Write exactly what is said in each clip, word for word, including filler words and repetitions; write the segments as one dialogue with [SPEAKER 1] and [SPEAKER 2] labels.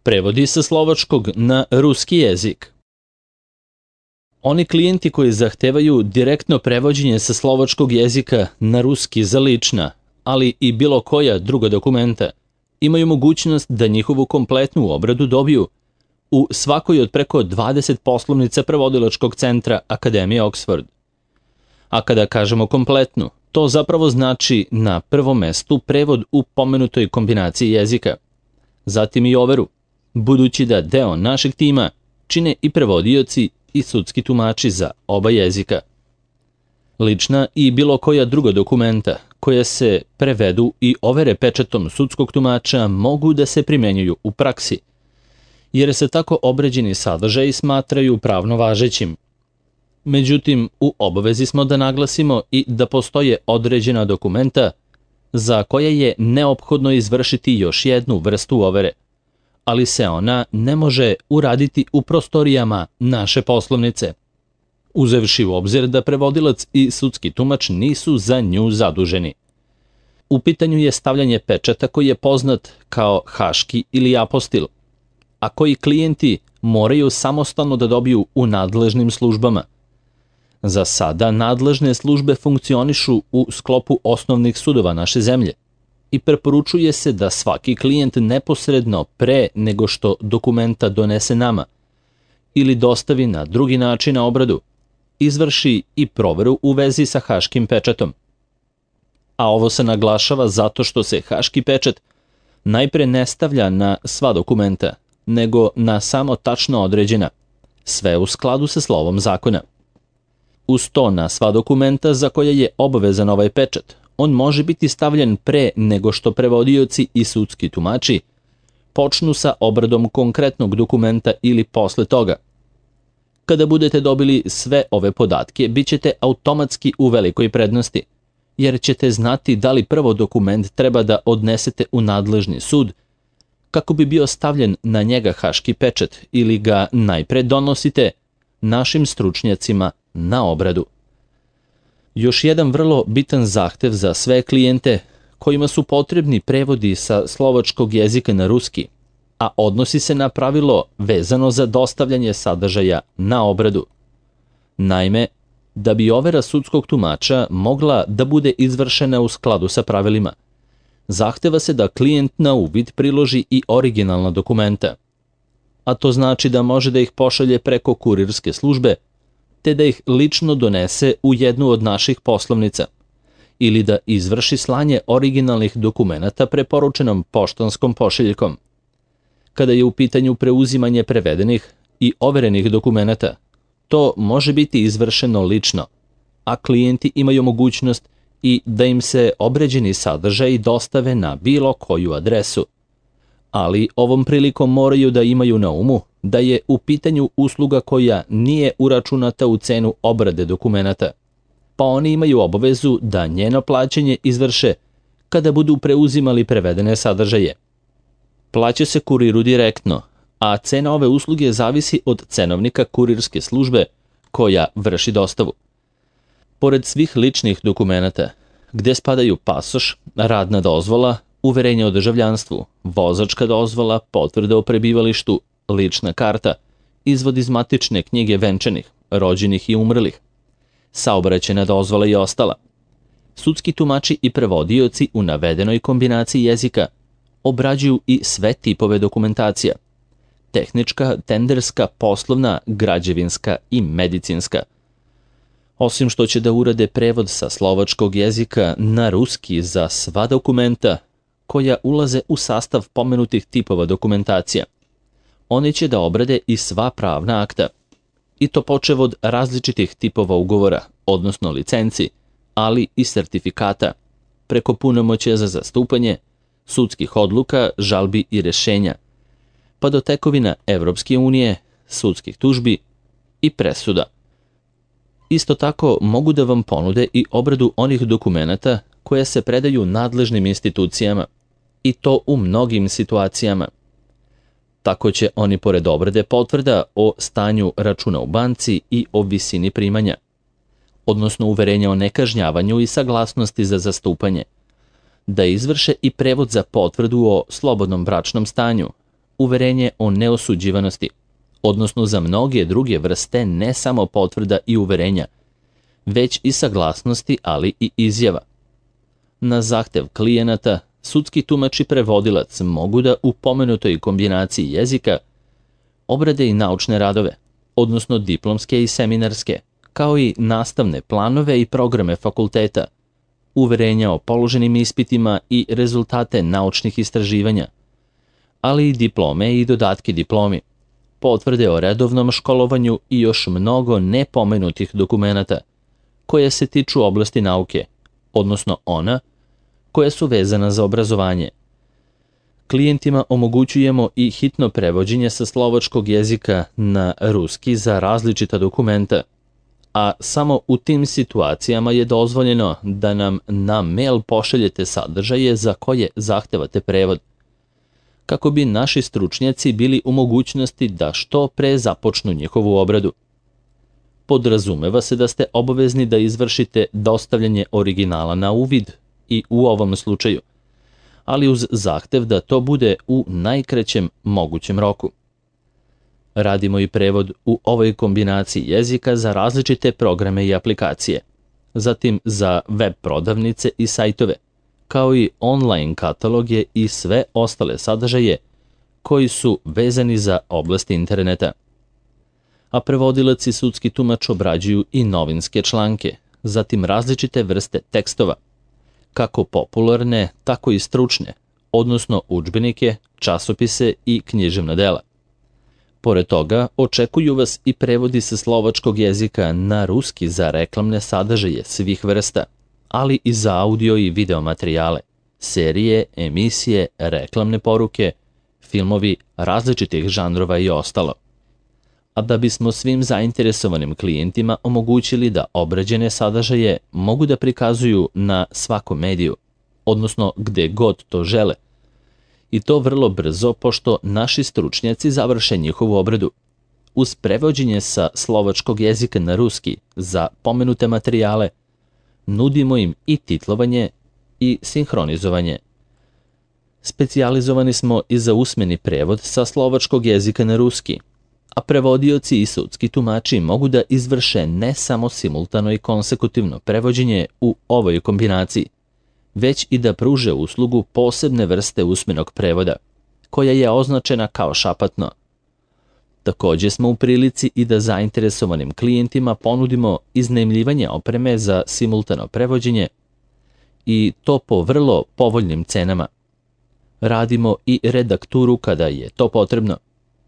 [SPEAKER 1] Prevodi sa slovačkog na ruski jezik. Oni klijenti koji zahtevaju direktno prevođenje sa slovačkog jezika na ruski za lična, ali i bilo koja druga dokumenta, imaju mogućnost da njihovu kompletnu obradu dobiju u svakoj od preko dvadeset poslovnica prevodilačkog centra Akademije Oxford. A kada kažemo kompletnu, to zapravo znači na prvom mestu prevod u pomenutoj kombinaciji jezika, zatim i overu, budući da deo našeg tima čine i prevodioci i sudski tumači za oba jezika. Lična i bilo koja druga dokumenta koja se prevedu i overe pečatom sudskog tumača mogu da se primenjuju u praksi, jer se tako obređeni sadržaji smatraju pravno važećim. Međutim, u obavezi smo da naglasimo i da postoje određena dokumenta za koje je neophodno izvršiti još jednu vrstu overe, ali se ona ne može uraditi u prostorijama naše poslovnice, uzevši u obzir da prevodilac i sudski tumač nisu za nju zaduženi. U pitanju je stavljanje pečata koji je poznat kao haški ili apostil, a koji klijenti moraju samostalno da dobiju u nadležnim službama. Za sada nadležne službe funkcionišu u sklopu osnovnih sudova naše zemlje i preporučuje se da svaki klijent neposredno pre nego što dokumenta donese nama ili dostavi na drugi način na obradu, izvrši i proveru u vezi sa haškim pečatom. A ovo se naglašava zato što se haški pečat najpre ne stavlja na sva dokumenta, nego na samo tačno određena, sve u skladu sa slovom zakona. Uz to na sva dokumenta za koje je obavezan ovaj pečat, on može biti stavljen pre nego što prevodioci i sudski tumači počnu sa obradom konkretnog dokumenta ili posle toga. Kada budete dobili sve ove podatke, bit ćete automatski u velikoj prednosti, jer ćete znati da li prvo dokument treba da odnesete u nadležni sud kako bi bio stavljen na njega haški pečat ili ga najpre donosite našim stručnjacima na obradu. Još jedan vrlo bitan zahtev za sve klijente kojima su potrebni prevodi sa slovačkog jezika na ruski, a odnosi se na pravilo vezano za dostavljanje sadržaja na obradu. Naime, da bi overa sudskog tumača mogla da bude izvršena u skladu sa pravilima, zahteva se da klijent na uvid priloži i originalna dokumenta, a to znači da može da ih pošalje preko kurirske službe, te da ih lično donese u jednu od naših poslovnica, ili da izvrši slanje originalnih dokumenata preporučenom poštanskom pošiljkom. Kada je u pitanju preuzimanje prevedenih i overenih dokumenata, to može biti izvršeno lično, a klijenti imaju mogućnost i da im se obređeni sadržaji dostave na bilo koju adresu. Ali ovom prilikom moraju da imaju na umu da je u pitanju usluga koja nije uračunata u cenu obrade dokumenata, pa oni imaju obavezu da njeno plaćanje izvrše kada budu preuzimali prevedene sadržaje. Plaća se kuriru direktno, a cena ove usluge zavisi od cenovnika kurirske službe koja vrši dostavu. Pored svih ličnih dokumenata, gde spadaju pasoš, radna dozvola, uverenje o državljanstvu, vozačka dozvola, potvrda o prebivalištu, lična karta, izvod iz matične knjige venčanih, rođenih i umrlih, saobraćajna dozvola i ostala. Sudski tumači i prevodioci u navedenoj kombinaciji jezika obrađuju i sve tipove dokumentacija: tehnička, tenderska, poslovna, građevinska i medicinska. Osim što će da urade prevod sa slovačkog jezika na ruski za sva dokumenta koja ulaze u sastav pomenutih tipova dokumentacija, oni će da obrade i sva pravna akta, i to počev od različitih tipova ugovora, odnosno licenci, ali i sertifikata, preko punomoćja za zastupanje, sudskih odluka, žalbi i rešenja, pa do tekovina Evropske unije, sudskih tužbi i presuda. Isto tako mogu da vam ponude i obradu onih dokumenata koje se predaju nadležnim institucijama, i to u mnogim situacijama. Tako će oni pored obrade potvrda o stanju računa u banci i o visini primanja, odnosno uverenja o nekažnjavanju i saglasnosti za zastupanje, da izvrše i prevod za potvrdu o slobodnom bračnom stanju, uverenje o neosuđivanosti, odnosno za mnoge druge vrste ne samo potvrda i uverenja, već i saglasnosti, ali i izjava. Na zahtev klijenata, sudski tumač i prevodilac mogu da u pomenutoj kombinaciji jezika obrade i naučne radove, odnosno diplomske i seminarske, kao i nastavne planove i programe fakulteta, uverenja o položenim ispitima i rezultate naučnih istraživanja, ali i diplome i dodatke diplomi, potvrde o redovnom školovanju i još mnogo nepomenutih dokumenata koje se tiču oblasti nauke, odnosno ona koja su vezana za obrazovanje. Klijentima omogućujemo i hitno prevođenje sa slovačkog jezika na ruski za različita dokumenta, a samo u tim situacijama je dozvoljeno da nam na mail pošaljete sadržaje za koje zahtevate prevod, kako bi naši stručnjaci bili u mogućnosti da što pre započnu njihovu obradu. Podrazumeva se da ste obavezni da izvršite dostavljanje originala na uvid i u ovom slučaju, ali uz zahtev da to bude u najkraćem mogućem roku. Radimo i prevod u ovoj kombinaciji jezika za različite programe i aplikacije, zatim za web prodavnice i sajtove, kao i online kataloge i sve ostale sadržaje koji su vezani za oblast interneta. A prevodilac i sudski tumač obrađuju i novinske članke, zatim različite vrste tekstova, kako popularne, tako i stručne, odnosno udžbenike, časopise i književna dela. Pored toga, očekuju vas i prevodi sa slovačkog jezika na ruski za reklamne sadržaje svih vrsta, ali i za audio i video materijale, serije, emisije, reklamne poruke, filmovi različitih žanrova i ostalo. A da bismo svim zainteresovanim klijentima omogućili da obrađene sadržaje mogu da prikazuju na svakom mediju, odnosno gde god to žele, i to vrlo brzo pošto naši stručnjaci završe njihovu obradu. Uz prevođenje sa slovačkog jezika na ruski za pomenute materijale, nudimo im i titlovanje i sinhronizovanje. Specijalizovani smo i za usmeni prevod sa slovačkog jezika na ruski, a prevodioci i sudski tumači mogu da izvrše ne samo simultano i konsekutivno prevođenje u ovoj kombinaciji, već i da pruže uslugu posebne vrste usmenog prevoda, koja je označena kao šapatno. Takođe smo u prilici i da zainteresovanim klijentima ponudimo iznajmljivanje opreme za simultano prevođenje i to po vrlo povoljnim cenama. Radimo i redakturu kada je to potrebno,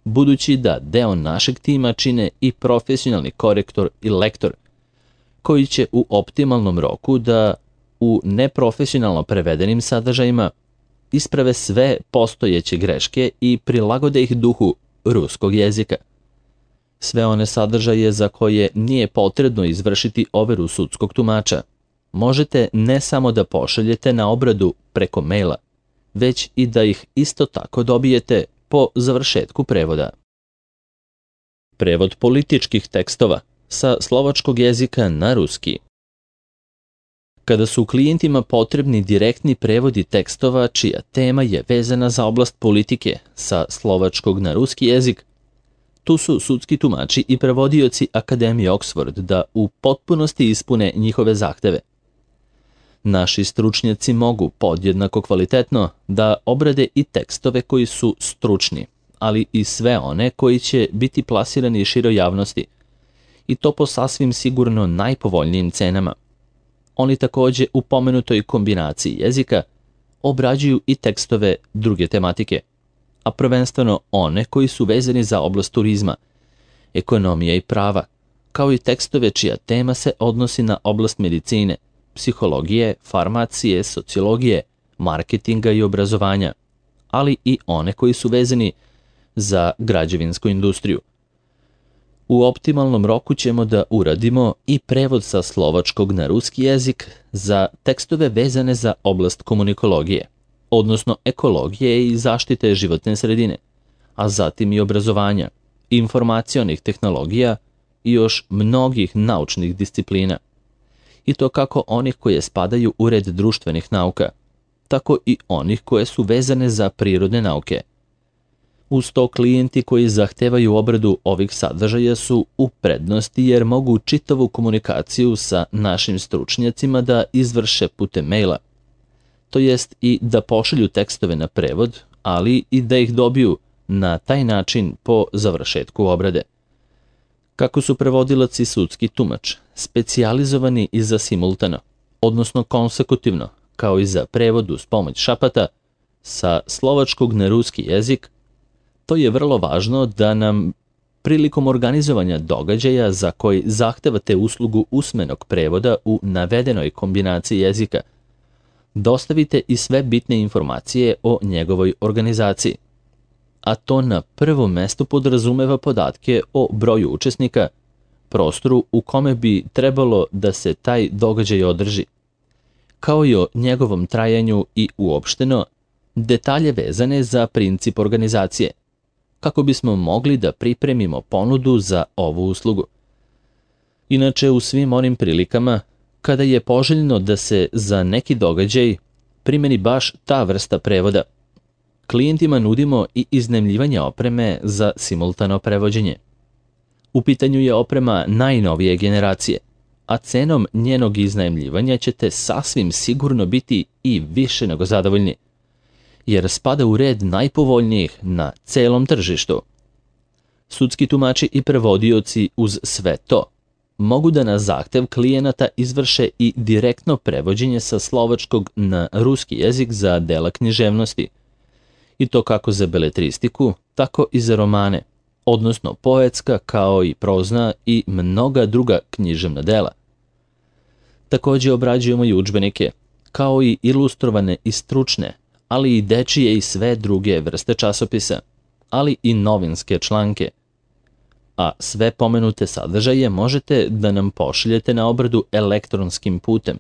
[SPEAKER 1] budući da deo našeg tima čine i profesionalni korektor i lektor, koji će u optimalnom roku da u neprofesionalno prevedenim sadržajima isprave sve postojeće greške i prilagode ih duhu ruskog jezika. Sve one sadržaje za koje nije potrebno izvršiti overu sudskog tumača možete ne samo da pošaljete na obradu preko maila, već i da ih isto tako dobijete po završetku prevoda. Prevod političkih tekstova sa slovačkog jezika na ruski. Kada su klijentima potrebni direktni prevodi tekstova čija tema je vezana za oblast politike sa slovačkog na ruski jezik, tu su sudski tumači i prevodioci Akademije Oxford da u potpunosti ispune njihove zahteve. Naši stručnjaci mogu podjednako kvalitetno da obrade i tekstove koji su stručni, ali i sve one koji će biti plasirani široj javnosti, i to po sasvim sigurno najpovoljnijim cenama. Oni takođe u pomenutoj kombinaciji jezika obrađuju i tekstove druge tematike, a prvenstveno one koji su vezani za oblast turizma, ekonomije i prava, kao i tekstove čija tema se odnosi na oblast medicine, psihologije, farmacije, sociologije, marketinga i obrazovanja, ali i one koji su vezani za građevinsku industriju. U optimalnom roku ćemo da uradimo i prevod sa slovačkog na ruski jezik za tekstove vezane za oblast komunikologije, odnosno ekologije i zaštite životne sredine, a zatim i obrazovanja, informacionih tehnologija i još mnogih naučnih disciplina. I to kako onih koje spadaju u red društvenih nauka, tako i onih koje su vezane za prirodne nauke. Uz to, klijenti koji zahtevaju obradu ovih sadržaja su u prednosti jer mogu čitavu komunikaciju sa našim stručnjacima da izvrše putem maila, to jest i da pošalju tekstove na prevod, ali i da ih dobiju na taj način po završetku obrade. Kako su prevodilac i sudski tumač specijalizovani i za simultano, odnosno konsekutivno, kao i za prevod uz pomoć šapata, sa slovačkog na ruski jezik, to je vrlo važno da nam prilikom organizovanja događaja za koji zahtevate uslugu usmenog prevoda u navedenoj kombinaciji jezika, dostavite i sve bitne informacije o njegovoj organizaciji, a to na prvom mestu podrazumeva podatke o broju učesnika, prostoru u kome bi trebalo da se taj događaj održi, kao i o njegovom trajanju i uopšteno detalje vezane za princip organizacije, kako bismo mogli da pripremimo ponudu za ovu uslugu. Inače, u svim onim prilikama, kada je poželjno da se za neki događaj primeni baš ta vrsta prevoda, klijentima nudimo i iznajmljivanje opreme za simultano prevođenje. U pitanju je oprema najnovije generacije, a cenom njenog iznajmljivanja ćete sasvim sigurno biti i više nego zadovoljni, jer spada u red najpovoljnijih na celom tržištu. Sudski tumači i prevodioci uz sve to mogu da na zahtev klijenata izvrše i direktno prevođenje sa slovačkog na ruski jezik za dela književnosti, i to kako za beletristiku, tako i za romane, odnosno poetska kao i prozna i mnoga druga književna dela. Takođe obrađujemo i udžbenike, kao i ilustrovane i stručne, ali i dečije i sve druge vrste časopisa, ali i novinske članke. A sve pomenute sadržaje možete da nam pošaljete na obradu elektronskim putem,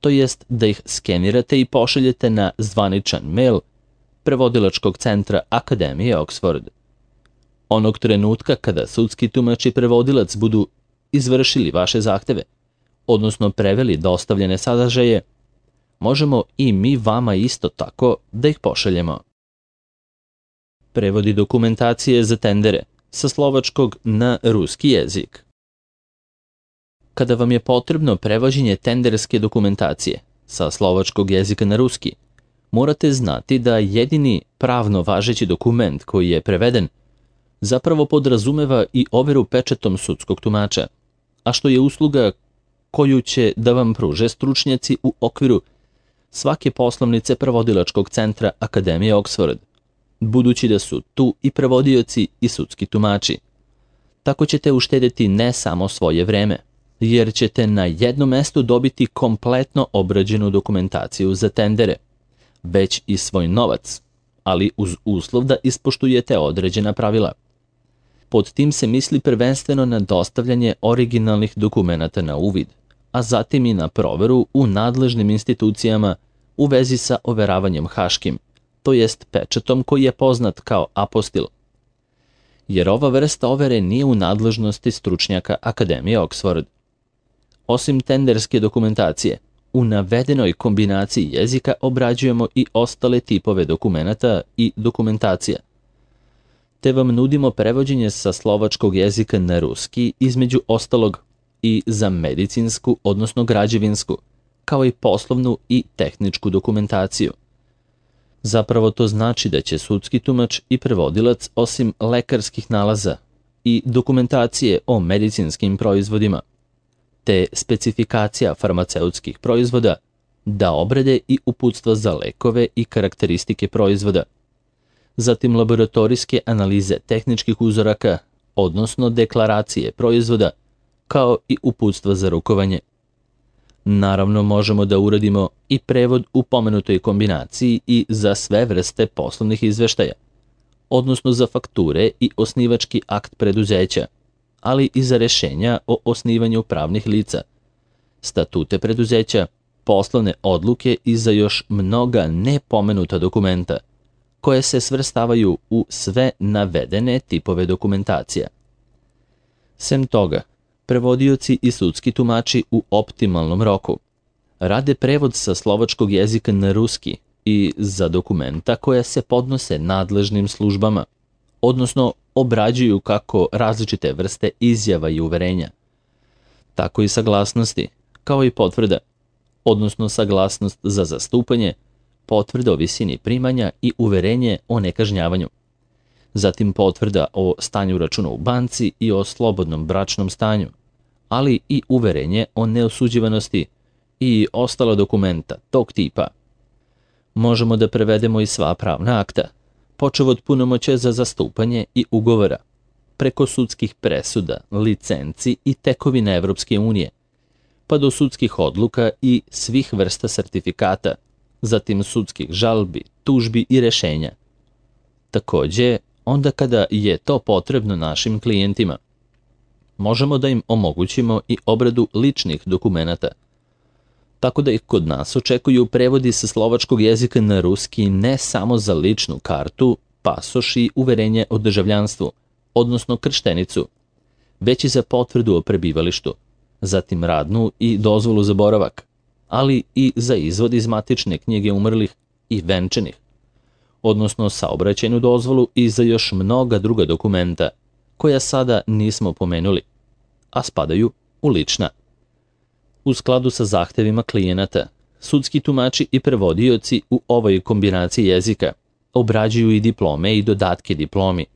[SPEAKER 1] to jest da ih skenirate i pošaljete na zvaničan mail Prevodilačkog centra Akademije Oxford. Onog trenutka kada sudski tumač i prevodilac budu izvršili vaše zahteve, odnosno preveli dostavljene sadržaje, možemo i mi vama isto tako da ih pošaljemo. Prevodi dokumentacije za tendere sa slovačkog na ruski jezik. Kada vam je potrebno prevođenje tenderske dokumentacije sa slovačkog jezika na ruski, morate znati da jedini pravno važeći dokument koji je preveden zapravo podrazumeva i overu pečatom sudskog tumača, a što je usluga koju će da vam pruže stručnjaci u okviru svake poslovnice Prevodilačkog centra Akademije Oxford, budući da su tu i prevodioci i sudski tumači. Tako ćete uštedeti ne samo svoje vreme, jer ćete na jednom mestu dobiti kompletno obrađenu dokumentaciju za tendere, već i svoj novac, ali uz uslov da ispoštujete određena pravila. Pod tim se misli prvenstveno na dostavljanje originalnih dokumenata na uvid, a zatim i na proveru u nadležnim institucijama u vezi sa overavanjem haškim, to jest pečatom koji je poznat kao apostil. Jer ova vrsta overe nije u nadležnosti stručnjaka Akademije Oxford. Osim tenderske dokumentacije, u navedenoj kombinaciji jezika obrađujemo i ostale tipove dokumenata i dokumentacija, te vam nudimo prevođenje sa slovačkog jezika na ruski, između ostalog i za medicinsku, odnosno građevinsku, kao i poslovnu i tehničku dokumentaciju. Zapravo to znači da će sudski tumač i prevodilac osim lekarskih nalaza i dokumentacije o medicinskim proizvodima, te specifikacija farmaceutskih proizvoda, da obrade i uputstva za lekove i karakteristike proizvoda, zatim laboratorijske analize tehničkih uzoraka, odnosno deklaracije proizvoda, kao i uputstva za rukovanje. Naravno, možemo da uradimo i prevod u pomenutoj kombinaciji i za sve vrste poslovnih izveštaja, odnosno za fakture i osnivački akt preduzeća, ali i za rešenja o osnivanju pravnih lica, statute preduzeća, poslovne odluke i za još mnoga nepomenuta dokumenta, koje se svrstavaju u sve navedene tipove dokumentacija. Sem toga, prevodioci i sudski tumači u optimalnom roku rade prevod sa slovačkog jezika na ruski i za dokumenta koja se podnose nadležnim službama, odnosno obrađuju kako različite vrste izjava i uverenja, tako i saglasnosti, kao i potvrda, odnosno saglasnost za zastupanje, potvrda o visini primanja i uverenje o nekažnjavanju. Zatim potvrda o stanju računa u banci i o slobodnom bračnom stanju, ali i uverenje o neosuđivanosti i ostala dokumenta tog tipa. Možemo da prevedemo i sva pravna akta, počev od punomoćja za zastupanje i ugovora, preko sudskih presuda, licenci i tekovina Evropske unije, pa do sudskih odluka i svih vrsta sertifikata, zatim sudskih žalbi, tužbi i rešenja. Takođe, onda kada je to potrebno našim klijentima, možemo da im omogućimo i obradu ličnih dokumenata, tako da ih kod nas očekuju prevodi sa slovačkog jezika na ruski ne samo za ličnu kartu, pasoš i uverenje o državljanstvu, odnosno krštenicu, već i za potvrdu o prebivalištu, zatim radnu i dozvolu za boravak, ali i za izvod iz matične knjige umrlih i venčanih, odnosno saobraćajnu dozvolu i za još mnoga druga dokumenta, koja sada nismo pomenuli, a spadaju u lična. U skladu sa zahtevima klijenata, sudski tumači i prevodioci u ovoj kombinaciji jezika obrađuju i diplome i dodatke diplomi,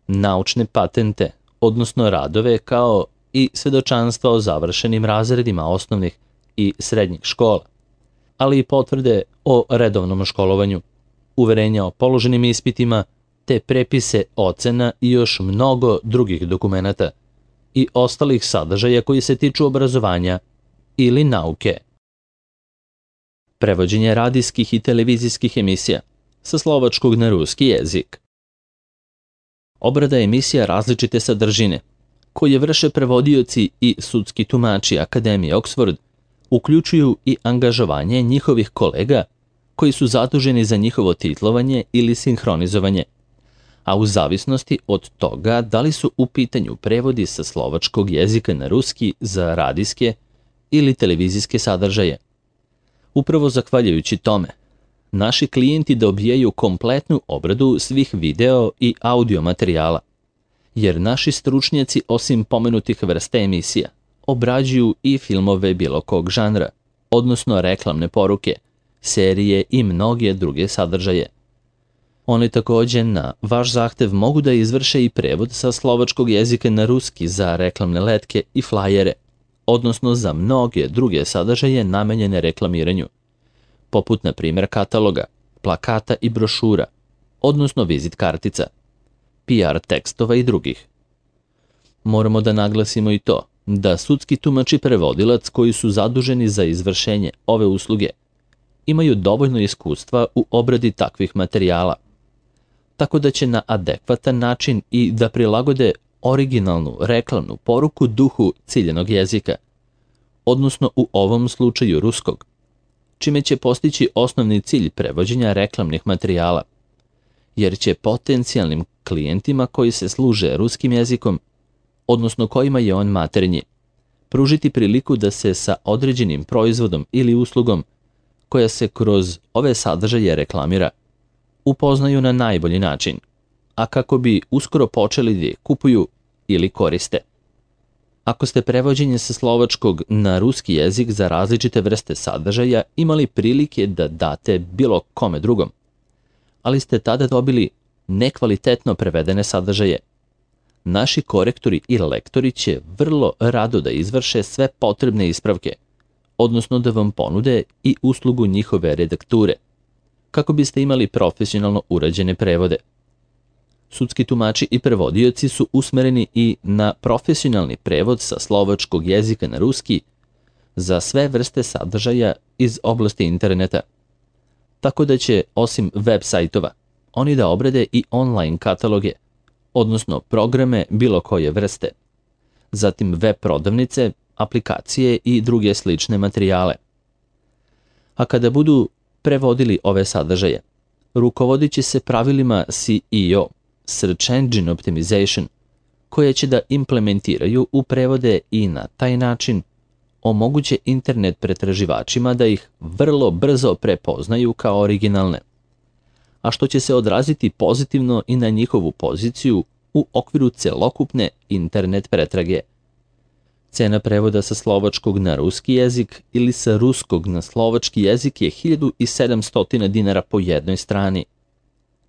[SPEAKER 1] naučne patente, odnosno radove kao i svedočanstva o završenim razredima osnovnih i srednjih škola, ali i potvrde o redovnom školovanju, uverenja o položenim ispitima, te prepise ocena i još mnogo drugih dokumenata i ostalih sadržaja koji se tiču obrazovanja ili nauke. Prevođenje radijskih i televizijskih emisija sa slovačkog na ruski jezik. Obrada emisija različite sadržine, koje vrše prevodioci i sudski tumači Akademije Oxford, uključuju i angažovanje njihovih kolega koji su zaduženi za njihovo titlovanje ili sinhronizovanje, a u zavisnosti od toga da li su u pitanju prevodi sa slovačkog jezika na ruski za radijske ili televizijske sadržaje. Upravo zahvaljujući tome, naši klijenti dobijaju kompletnu obradu svih video i audio materijala, jer naši stručnjaci osim pomenutih vrsta emisija obrađuju i filmove bilo kog žanra, odnosno reklamne poruke, serije i mnoge druge sadržaje. Oni takođe na vaš zahtev mogu da izvrše i prevod sa slovačkog jezika na ruski za reklamne letke i flajere, odnosno za mnoge druge sadržaje namenjene reklamiranju, poput na primjer kataloga, plakata i brošura, odnosno vizit kartica, P R tekstova i drugih. Moramo da naglasimo i to da sudski tumač i prevodilac koji su zaduženi za izvršenje ove usluge imaju dovoljno iskustva u obradi takvih materijala, tako da će na adekvatan način i da prilagode originalnu reklamnu poruku duhu ciljanog jezika, odnosno u ovom slučaju ruskog, čime će postići osnovni cilj prevođenja reklamnih materijala, jer će potencijalnim klijentima koji se služe ruskim jezikom, odnosno kojima je on maternji, pružiti priliku da se sa određenim proizvodom ili uslugom koja se kroz ove sadržaje reklamira, upoznaju na najbolji način, a kako bi uskoro počeli da kupuju ili koriste. Ako ste prevođenje sa slovačkog na ruski jezik za različite vrste sadržaja imali prilike da date bilo kome drugom, ali ste tada dobili nekvalitetno prevedene sadržaje, naši korektori i lektori će vrlo rado da izvrše sve potrebne ispravke, odnosno da vam ponude i uslugu njihove redakture, kako biste imali profesionalno urađene prevode. Sudski tumači i prevodioci su usmereni i na profesionalni prevod sa slovačkog jezika na ruski za sve vrste sadržaja iz oblasti interneta, tako da će, osim web sajtova, oni da obrade i online kataloge, odnosno programe bilo koje vrste, zatim web prodavnice, aplikacije i druge slične materijale. A kada budu prevodili ove sadržaje, rukovodit će se pravilima S E O, Search Engine Optimization, koje će da implementiraju u prevode i na taj način omoguće internet pretraživačima da ih vrlo brzo prepoznaju kao originalne. a što će se odraziti pozitivno i na njihovu poziciju u okviru celokupne internet pretrage. Cena prevoda sa slovačkog na ruski jezik ili sa ruskog na slovački jezik je hiljadu sedamsto dinara po jednoj strani.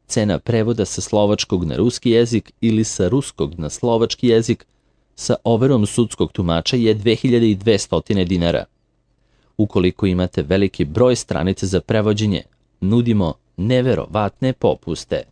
[SPEAKER 1] Cena prevoda sa slovačkog na ruski jezik ili sa ruskog na slovački jezik sa overom sudskog tumača je dve hiljade dvesta dinara. Ukoliko imate veliki broj stranica za prevođenje, nudimo neverovatne popuste.